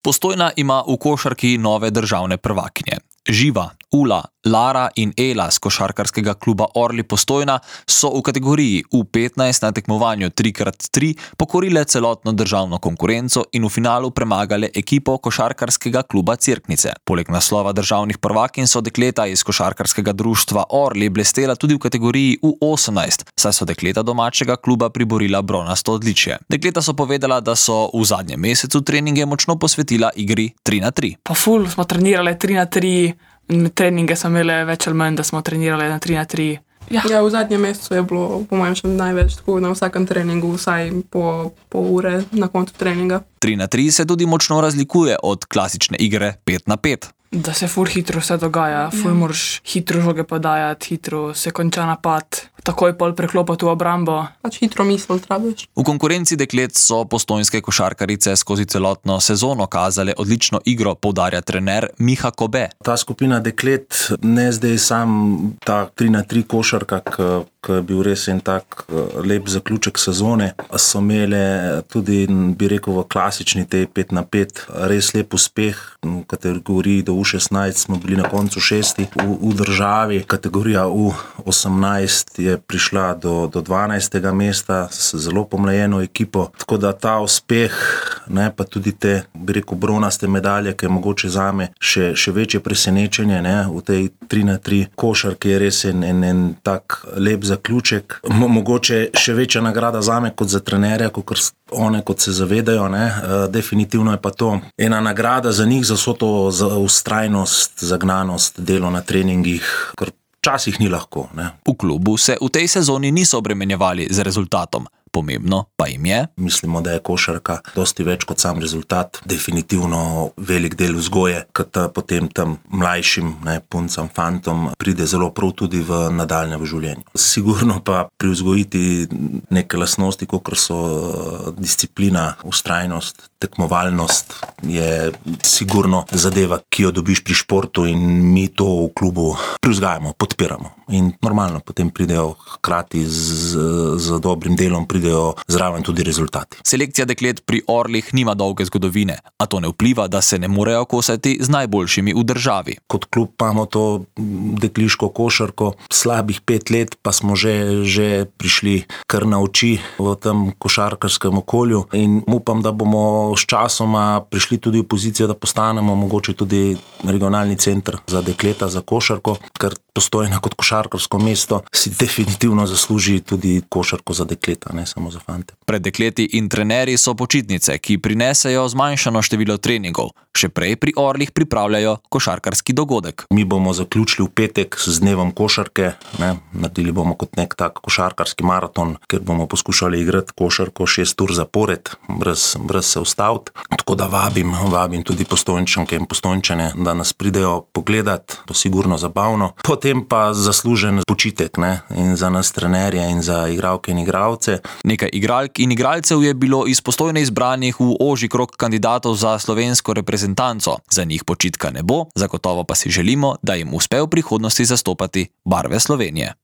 Postojna ima v košarki nove državne prvakinje. Živa, Ula, Lara in Ela z košarkarskega kluba Orli Postojna so v kategoriji U15 na tekmovanju 3x3 pokorile celotno državno konkurenco in v finalu premagale ekipo košarkarskega kluba Cerknice. Poleg naslova državnih prvakinj so dekleta iz košarkarskega društva Orli blestela tudi v kategoriji U18, saj so dekleta domačega kluba priborila bronasto odličje. Dekleta so povedala, da so v zadnjem mesecu treninge močno posvetila igri 3x3. Pa ful smo trenirali 3x3, treninge smo imeli več ali manj, da smo trenirali na 3x3. Ja, v zadnjem mesecu je bilo po mojem še največ, tako na vsakem treningu, vsaj po pol ure na koncu treninga. 3x3 se tudi močno razlikuje od klasične igre 5x5. Da se ful hitro vse dogaja, ful moraš hitro žoge podajati, hitro se konča napad, takoj pol preklopati v obrambo. Pač hitro misel trabiš. V konkurenci deklet so postojnske košarkarice skozi celotno sezono kazale odlično igro, poudarja trener Miha Kobe. Ta skupina deklet, ne zdaj sam ta 3x3 košarka, ki je bil res en tak lep zaključek sezone, so imele tudi, bi rekel, v klasični tej 5x5 res lep uspeh. V kategoriji do U16 smo bili na koncu 6. v državi. Kategorija U18 je prišla do 12. mesta s zelo pomlajeno ekipo. Tako da ta uspeh, pa tudi te, bi rekel, bronaste medalje, ki je mogoče zame še večje presenečenje, v tej 3x3 košarki je res en tak lep zaključek. Mogoče še večja nagrada zame kot za trenerja, kot se zavedajo. Definitivno je pa to ena nagrada za njih, za vso to vztrajnost, zagnanost, delo na treningih, kar včasih ni lahko. V klubu se v tej sezoni niso obremenjevali z rezultatom. Pomembno pa jim je. Mislimo, da je košarka dosti več kot sam rezultat. Definitivno velik del vzgoje, kot potem tam mlajšim puncam, fantom pride zelo prav tudi v nadaljnjem življenju. Sigurno pa pri vzgojiti neke lastnosti, kot so disciplina, vztrajnost, tekmovalnost, je sigurno zadeva, ki jo dobiš pri športu, in mi to v klubu privzgajamo, podpiramo. In normalno potem pridejo hkrati z dobrim delom, pridejo zraven tudi rezultati. Selekcija deklet pri Orlih nima dolge zgodovine, a to ne vpliva, da se ne morejo kosati z najboljšimi v državi. Kot klub imamo to dekliško košarko slabih 5 let, pa smo že prišli kar na oči v tem košarkarskem okolju, in upam, da bomo s časoma prišli tudi v pozicijo, da postanemo mogoče tudi regionalni center za dekleta, za košarko, ker Postojna kot košarkarsko mesto si definitivno zasluži tudi košarko za dekleta, ne samo za fante. Pred dekleti in trenerji so počitnice, ki prinesejo zmanjšano število treningov. Še prej pri Orlih pripravljajo košarkarski dogodek. Mi bomo zaključili v petek z dnevom košarke, naredili bomo kot nek tak košarkarski maraton, kjer bomo poskušali igrati košarko 6 ur zapored, brez se ustaviti. Tako da vabim tudi Postojnčanke in Postojnčane, da nas pridejo pogledat, to sigurno zabavno. Potem pa zaslužen počitek, in za nas trenerje in za igralke in igralce. Nekaj igralk in igralcev je bilo iz Postojne izbranih v ožji krog kandidatov za slovensko reprezentanco. Za njih počitka ne bo, zagotovo pa si želimo, da jim uspe v prihodnosti zastopati barve Slovenije.